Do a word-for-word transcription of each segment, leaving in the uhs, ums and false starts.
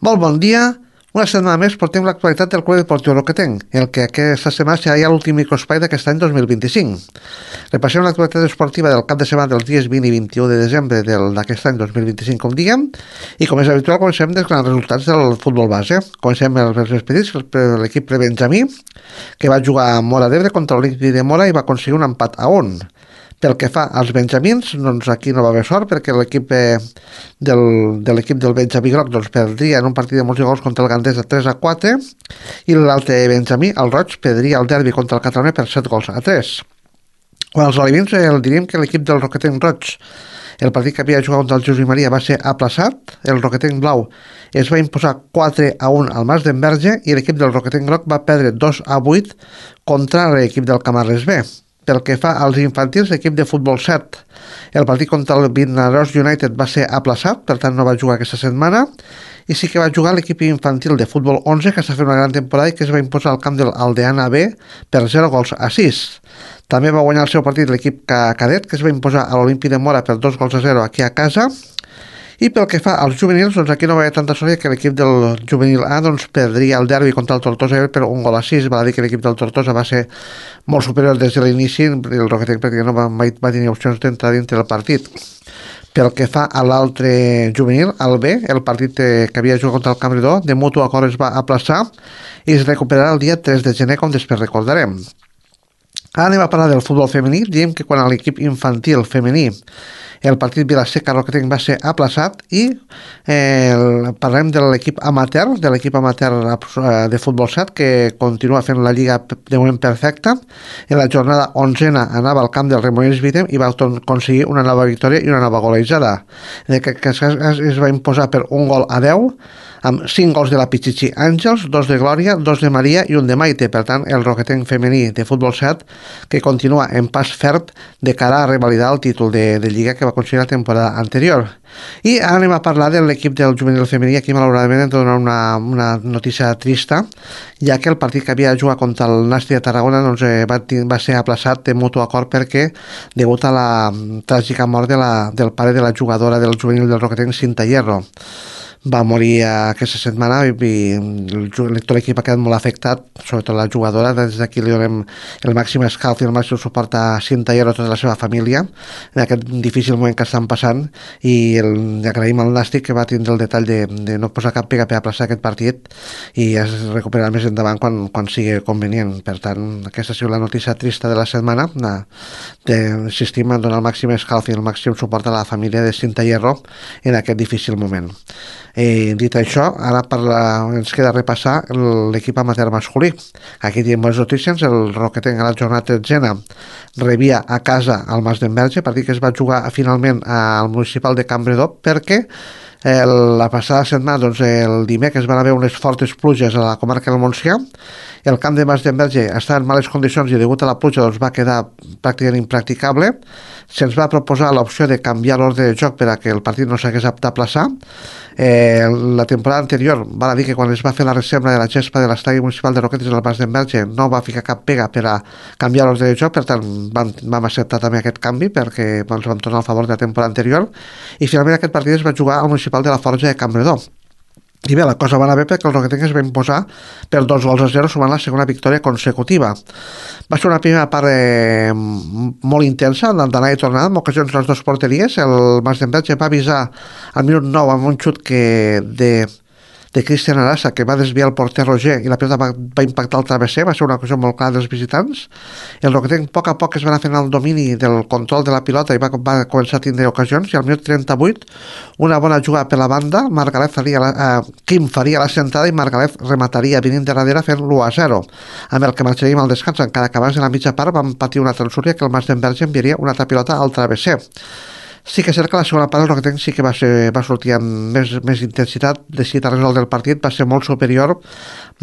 Molt bon dia. Una setmana més portem l'actualitat del Club Deportiu Roquetenc, el que aquesta setmana serà ja l'últim microespai d'aquest any dos mil vint-i-cinc. Repassem l'actualitat esportiva del cap de setmana dels dies vint i vint-i-u de desembre d'aquest any dos mil vint-i-cinc, com diguem, i com és habitual comencem dels grans resultats del futbol base. Comencem els més petits, l'equip prebenjamí, que va jugar a Móra d'Ebre contra l'Olímpic de Móra i va aconseguir un empat a un. Pel que fa als benjamins, doncs aquí no va haver sort perquè l'equip eh, del, de l'equip del Benjamí Groc doncs, perdria en un partit de molts gols contra el Gandesa tres a quatre i l'altre benjamí, el Roig, perdria el derbi contra el Catalonia per set gols a tres. Quan als olivins eh, diríem que l'equip del Roquetenc Roig, el partit que havia jugat contra el Josep Maria, va ser aplaçat, el Roquetenc Blau es va imposar quatre a un al Mas d'Enverge i l'equip del Roquetenc Groc va perdre dos a vuit contra l'equip del Camarles B. Pel que fa als infantils, l'equip de futbol set, el partit contra el Vinaròs United va ser aplaçat, per tant no va jugar aquesta setmana, i sí que va jugar l'equip infantil de futbol onze, que està fent una gran temporada i que es va imposar al camp del Aldeana B per zero gols a sis. També va guanyar el seu partit l'equip cadet, que es va imposar a l'Olímpic de Móra per dos gols a zero aquí a casa. I pel que fa als juvenils, doncs aquí no va haver tanta sort que l'equip del juvenil A doncs, perdria el derbi contra el Tortosa per un gol a sis. Val a dir que l'equip del Tortosa va ser molt superior des de l'inici, el Roquetenc perquè no va, mai va tenir opcions d'entrar dintre del partit. Pel que fa a l'altre juvenil, el B, el partit que havia jugat contra el Campredó, de mutu acord es va aplaçar i es recuperarà el dia tres de gener, com després recordarem. Ara anem a parlar del futbol femení. Diem que quan a l'equip infantil femení el partit Vila-seca Roquetenc va ser aplaçat i eh, parlem de l'equip amateur, de l'equip amateur de futbol set que continua fent la lliga de moment perfecta. En la jornada onzena anava al camp del Remolins Vitem i va aconseguir una nova victòria i una nova golejada. En aquest cas es va imposar per un gol a deu amb cinc gols de la Pichichi Àngels, dos de Glòria, dos de Maria i un de Maite. Per tant, el Roquetenc femení de futbol set que continua en pas ferm de cara a revalidar el títol de, de Lliga que va aconseguir la temporada anterior. I ara anem a parlar de l'equip del juvenil femení. Aquí malauradament hem de donar una, una notícia trista, ja que el partit que havia jugat contra el Nàstic de Tarragona doncs, eh, va, va ser aplaçat de mutu acord perquè degut a la tràgica mort de la, del pare de la jugadora del juvenil del Roquetenc, Cinta Hierro. Va morir aquesta setmana i, i tot l'equip ha quedat molt afectat, sobretot la jugadora. Des d'aquí li donem el màxim escalf i el màxim suport a Cinta Hierro i a tota la seva família en aquest difícil moment que estan passant, i el, agraïm al Nàstic que va tindre el detall de, de no posar cap pega per aplaçar aquest partit i es recuperarà més endavant quan, quan sigui convenient. Per tant, aquesta ha sigut la notícia trista de la setmana, d'insistim en donar el màxim escalf i el màxim suport a la família de Cinta Hierro en aquest difícil moment. Eh, dit això, ara la, ens queda repassar l'equip amateur masculí. Aquí tenim bones notícies. El Roquetenc a la jornada tretzena rebia a casa al Mas d'Enverge, partit que es va jugar finalment al municipal de Campredó perquè eh, la passada setmana, doncs, el dimecres van haver unes fortes pluges a la comarca del Montsià. El camp de Mas d'Enverge estava en males condicions i degut a la pluja doncs, va quedar pràcticament impracticable. Se'ns va proposar l'opció de canviar l'ordre de joc per a que el partit no s'hagués d'aplaçar. Eh, la temporada anterior val a dir que quan es va fer la reserva de la gespa de l'estadi municipal de Roquetes al Mas d'Enverge no va ficar cap pega per a canviar l'ordre de joc, per tant vam, vam acceptar també aquest canvi perquè ens vam tornar al favor de la temporada anterior i finalment aquest partit es va jugar al municipal de la Forja de Campredó. I bé, la cosa va anar bé perquè el Roquetenc es va imposar per dos gols a zero, sumant la segona victòria consecutiva. Va ser una primera part eh, molt intensa, d'anar i tornar, amb ocasions les dues porteries. El Mas d'Enverge va avisar al minut nou amb un xut que de... de Cristian Arasa, que va desviar el porter Roger i la pilota va, va impactar el travesser. Va ser una cosa molt clara dels visitants. El Roquetenc a poc a poc es va anar fent el domini del control de la pilota i va, va començar a tindre ocasions, i al minut trenta-vuit una bona jugada per la banda, Margalef faria la, eh, Quim faria la centrada i Margalef remataria venint de darrere fent l'u a zero, amb el que marxaríem al descans, encara que abans de la mitja part vam patir una transúria que el Mas d'Enverge enviaria una altra pilota al travesser. Sí que és cert que la segona part el Roquetenc sí que va, ser, va sortir amb més, més intensitat, decidit a resoldre el partit, va ser molt superior,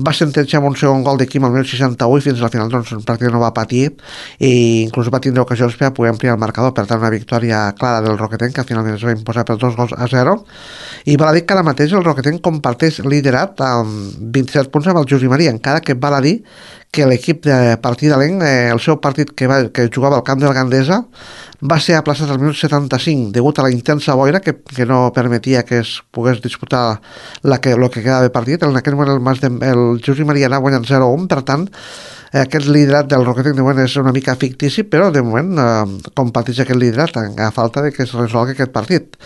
va sentenciar amb un segon gol de Quim al minut seixanta-u i fins al final doncs, pràcticament no va patir i inclús va tindre ocasions per a poder ampliar el marcador. Per tant, una victòria clara del Roquetenc que finalment es va imposar per dos gols a zero. I val a dir que ara mateix el Roquetenc comparteix liderat amb vint-i-set punts amb el Josep Maria, encara que val a dir que l'equip de partidalenc, eh, el seu partit que, va, que jugava al camp del Gandesa, va ser aplaçat al minut setanta-cinc degut a la intensa boira que, que no permetia que es pogués disputar la que, lo que quedava de partit. En aquell moment el, Mas de, el Josep Maria anava guanyant zero a un, per tant, eh, aquest liderat del Roquetenc de moment és una mica fictici, però de moment eh, comparteix aquest liderat a falta de que es resolgui aquest partit.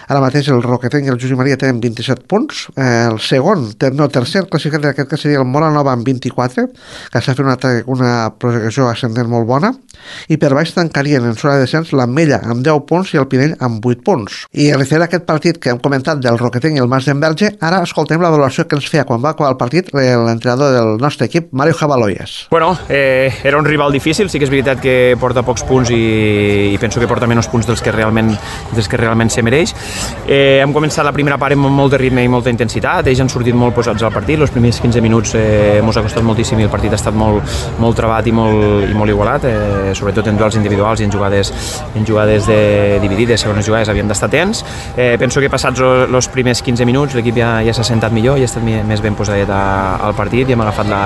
Ara mateix el Roquetenc i el Josep Maria tenen vint-i-set punts, eh, el segon, ter, no, tercer classificat d'aquest cas seria el Mora Nova amb vint-i-quatre, que s'ha fet una, una projecció ascendent molt bona, i per baix tancarien en zona de descens l'Ametlla amb deu punts i el Pinell amb vuit punts. I referent a aquest partit que hem comentat del Roquetenc i el Mas d'Enverge, ara escoltem la valoració que ens feia quan va acabar el partit l'entrenador del nostre equip, Mario Jabaloyes. Bueno, eh, era un rival difícil, sí que és veritat que porta pocs punts i, i penso que porta menys punts dels que realment, dels que realment se mereix. Eh, hem començat la primera part amb molt de ritme i molta intensitat, ells han sortit molt posats al partit, els primers quinze minuts eh, ens ha costat moltíssim i el partit ha estat molt, molt trebat i molt, i molt igualat, eh, sobretot en duels individuals i en jugades, en jugades de dividides, segones jugades havíem d'estar atents. Eh, penso que passats els primers quinze minuts l'equip ja, ja s'ha sentat millor i ha estat més ben posadet al partit i hem agafat la,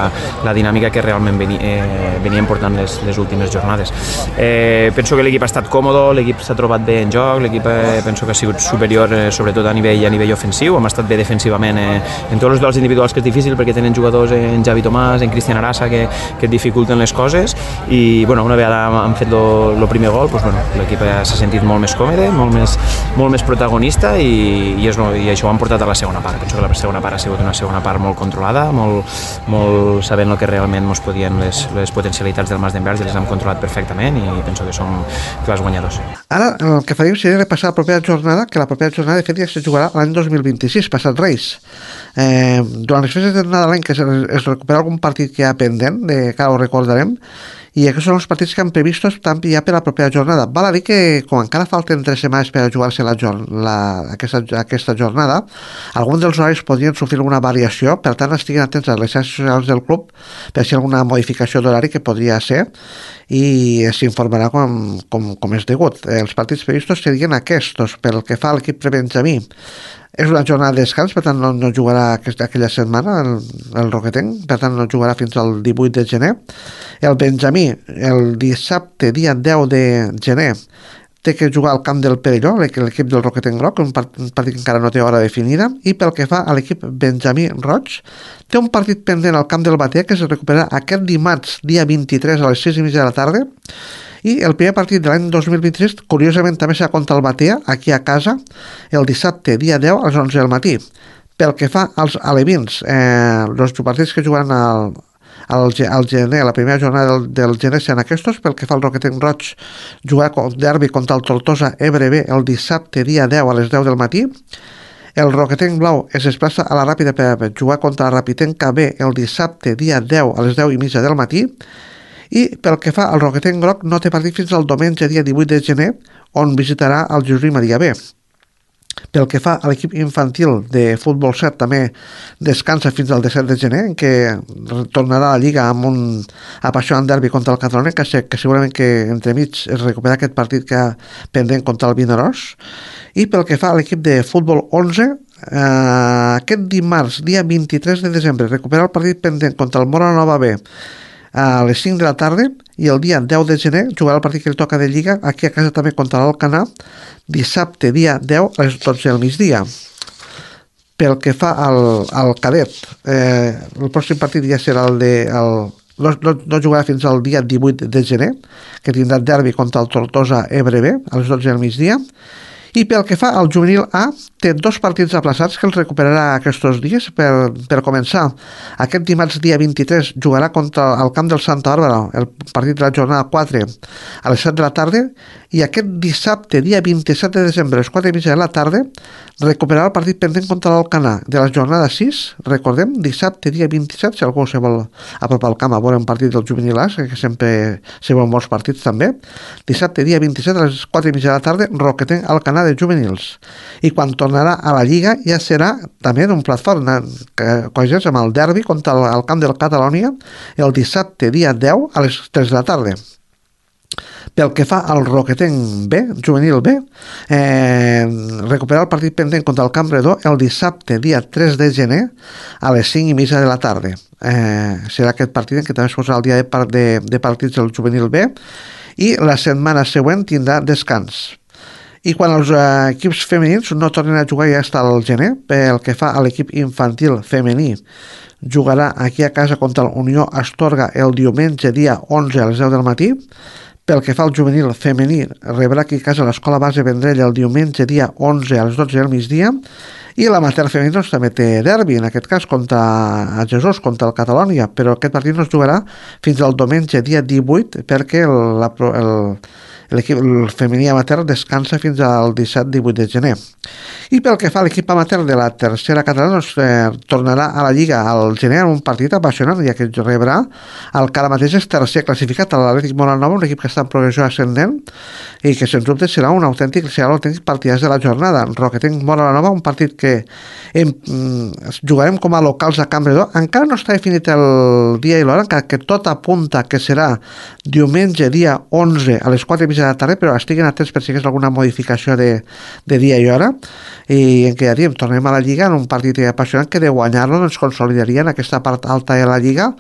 la dinàmica que realment veni, eh, veníem portant les, les últimes jornades. Eh, penso que l'equip ha estat còmode, l'equip s'ha trobat bé en joc, l'equip eh, penso que ha sigut superior eh, sobretot a nivell, a nivell ofensiu, hem estat bé defensivament eh, en tots els duels individuals, que és difícil perquè tenen jugadors en Javi Tomàs, en Cristian Arasa que, que et dificulten les coses i bueno, una vegada han fet el primer gol, doncs, bueno, l'equip s'ha sentit molt més còmode, molt més, molt més protagonista i, i, és, i això ho han portat a la segona part. Penso que la segona part ha sigut una segona part molt controlada, molt, molt sabent el que realment ens podien les, les potencialitats del Mas d'Enverge, les hem controlat perfectament i penso que som clars guanyadors. Ara el que faríem seria repassar la propera jornada, que la propera jornada de fet ja se jugarà l'any dos mil vint-i-sis, passat Reis. Eh, durant les festes de Nadal que es, es recupera algun partit que hi ha pendent, de, que ara ho recordarem, i aquests són els partits que han previstos també ja per la propera jornada. Val a dir que com encara falten tres setmanes per a jugar-se la, la, aquesta, aquesta jornada, alguns dels horaris podrien sofrir alguna variació, per tant estiguin atents a les xarxes socials del club per si hi ha alguna modificació d'horari que podria ser i s'informarà com, com, com és degut. Els partits previstos serien aquests. Pel que fa a l'equip prebenjamí, és una jornada de descans, per tant no, no jugarà aquesta, aquella setmana el, el Roquetenc, per tant no jugarà fins al divuit de gener. El Benjamí, el dissabte, dia deu de gener, té que jugar al camp del Perelló, l'equip del Roquetenc Groc, un partit que encara no té hora definida, i pel que fa a l'equip Benjamí Roig, té un partit pendent al camp del Batea que es recuperarà aquest dimarts, dia vint-i-tres a les sis i mitja de la tarda, i el primer partit de l'any dos mil vint-i-sis, curiosament, també serà contra el Batea, aquí a casa, el dissabte, dia deu, a les onze del matí. Pel que fa als alevins, eh, els partits que jugaran al, al, al gener, la primera jornada del, del gener seran aquests. Pel que fa al Roquetenc Roig, jugar derbi contra el Tortosa Ebre B el dissabte, dia deu, a les deu del matí. El Roquetenc Blau es desplaça a la Ràpida per jugar contra la Rapitenca B el dissabte, dia deu, a les deu i mitja del matí. I pel que fa al Roquetenc Groc, no té partit fins al diumenge, dia divuit de gener, on visitarà el Josep Maria B. Pel que fa a l'equip infantil de futbol set, també descansa fins al disset de gener, en què tornarà a la Lliga amb un apassionant derbi contra el Catalunya, que, sé, que segurament que entremig es recupera aquest partit que ha pendent contra el Vinaròs. I pel que fa a l'equip de futbol onze, eh, aquest dimarts, dia vint-i-tres de desembre, recupera el partit pendent contra el Mora Nova B a les cinc de la tarda, i el dia deu de gener jugarà el partit que li toca de Lliga aquí a casa també contra l'Alcanar, dissabte dia deu a les dotze del migdia. Pel que fa al, al cadet, eh, el pròxim partit ja serà el de el, no, no, no jugarà fins al dia divuit de gener, que tindrà derbi contra el Tortosa Ebre B a les dotze del migdia. I pel que fa al juvenil A, té dos partits aplaçats que els recuperarà aquests dies. Per, per començar, aquest dimarts dia vint-i-tres jugarà contra el camp del Santa Bàrbara, el partit de la jornada quatre, a les set de la tarda, i aquest dissabte, dia vint-i-set de desembre, a les quatre i mitja de la tarda, recuperarà el partit pendent contra l'Alcanar de la jornada sis, recordem, dissabte, dia vint-i-set, si algú se vol apropar al camp a veure un partit del juvenil A, que sempre se veuen molts partits també, dissabte, dia vint-i-set, a les quatre i mitja de la tarda, Roquetenc Alcanar de juvenils. I quan tornarà a la Lliga ja serà també un plat fort, coincideix amb el derbi contra el, el camp del Catalunya el dissabte dia deu a les tres de la tarda. Pel que fa al Roquetenc B, juvenil B, eh, recuperar el partit pendent contra el Campredó el dissabte, dia tres de gener, a les cinc i mitja de la tarda. Eh, serà aquest partit en què també es posarà el dia de, par de, de partits del juvenil B, i la setmana següent tindrà descans. I quan els eh, equips femenins no tornen a jugar ja està al gener, pel que fa a l'equip infantil femení, jugarà aquí a casa contra la Unió Astorga el diumenge dia onze a les deu del matí. Pel que fa al juvenil femení, rebrà aquí a casa l'Escola Base Vendrell el diumenge dia onze a les dotze del migdia, i l'amateur femení doncs, també té derbi, en aquest cas contra a Jesús, contra el Catalònia, però aquest partit no es jugarà fins al diumenge dia divuit perquè el, la, el, l'equip el femení amateur descansa fins al disset divuit de gener. I pel que fa a l'equip amateur de la tercera catalana, doncs, eh, tornarà a la Lliga al gener en un partit apassionant, ja que rebrà el que ara mateix és tercer classificat, l'Atlètic Molanova, un equip que està en progressió ascendent i que sens dubte serà un autèntic, serà l'autèntic partidàs de la jornada. Roquetenc Molanova, un partit que hem, jugarem com a locals a Campredó. Encara no està definit el dia i l'hora, encara que tot apunta que serà diumenge dia onze a les quatre i mitja de la tarda, però estiguin atents per si hi ha alguna modificació de, de dia i hora, i en què ja diem, tornem a la Lliga en un partit apassionant que de guanyar-lo ens consolidaria en aquesta part alta de la Lliga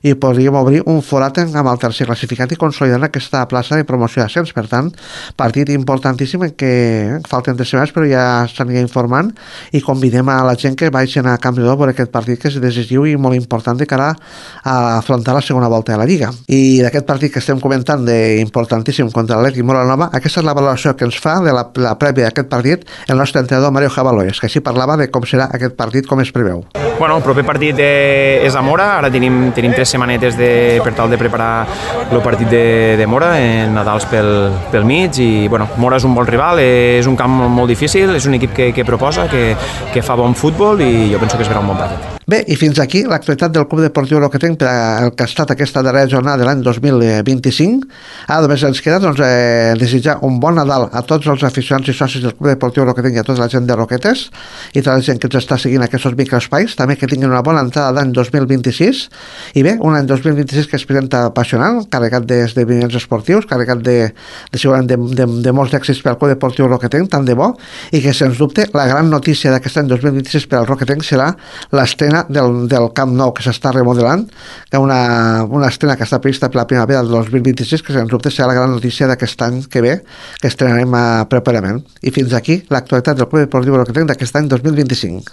i podríem obrir un forat amb el tercer classificat i consolidar aquesta plaça de promoció d'ascens. Per tant, partit importantíssim en què falten tres setmanes però ja s'anirà informant i convidem a la gent que vagin a Campredó per aquest partit que és decisiu i molt important de cara a afrontar la segona volta de la Lliga. I d'aquest partit que estem comentant d'importantíssim contra l'Atlètic Molanova, aquesta és la valoració que ens fa de la, la prèvia d'aquest partit el nostre entrenador Mario Jabaloyes, que així parlava de com serà aquest partit, com es preveu. Bueno, el proper partit eh, és a Mora, ara tenim, tenim tres setmanetes de, per tal de preparar el partit de, de Mora, en Nadals pel, pel mig, i bueno, Mora és un bon rival, és un camp molt difícil, és un equip que, que proposa, que, que fa bon futbol i jo penso que es verà un bon partit. Bé, i fins aquí l'actualitat del Club Deportiu Roquetenc per el que ha estat aquesta darrera jornada de l'any dos mil vint-i-cinc. Ara només ens queda doncs, eh, desitjar un bon Nadal a tots els aficionats i socis del Club Deportiu Roquetenc i a tota la gent de Roquetes i tota la gent que ens està seguint aquests microespais. També que tinguin una bona entrada d'any dos mil vint-i-sis i bé, un any dos mil vint-i-sis que es presenta apassionant, carregat d'esdeveniments esportius, carregat de, de, segurament de, de, de molts èxits per al Club Deportiu Roquetenc, tant de bo, i que sens dubte la gran notícia d'aquest any dos mil vint-i-sis per al Roquetenc serà l'estrena Del, del Camp Nou que s'està remodelant, que una, una estrena que està prevista per la primavera del dos mil vint-i-sis, que sens dubte serà la gran notícia d'aquest any que ve, que estrenarem a properament. I fins aquí l'actualitat del Club Deportiu Roquetenc d'aquest any dos mil vint-i-cinc.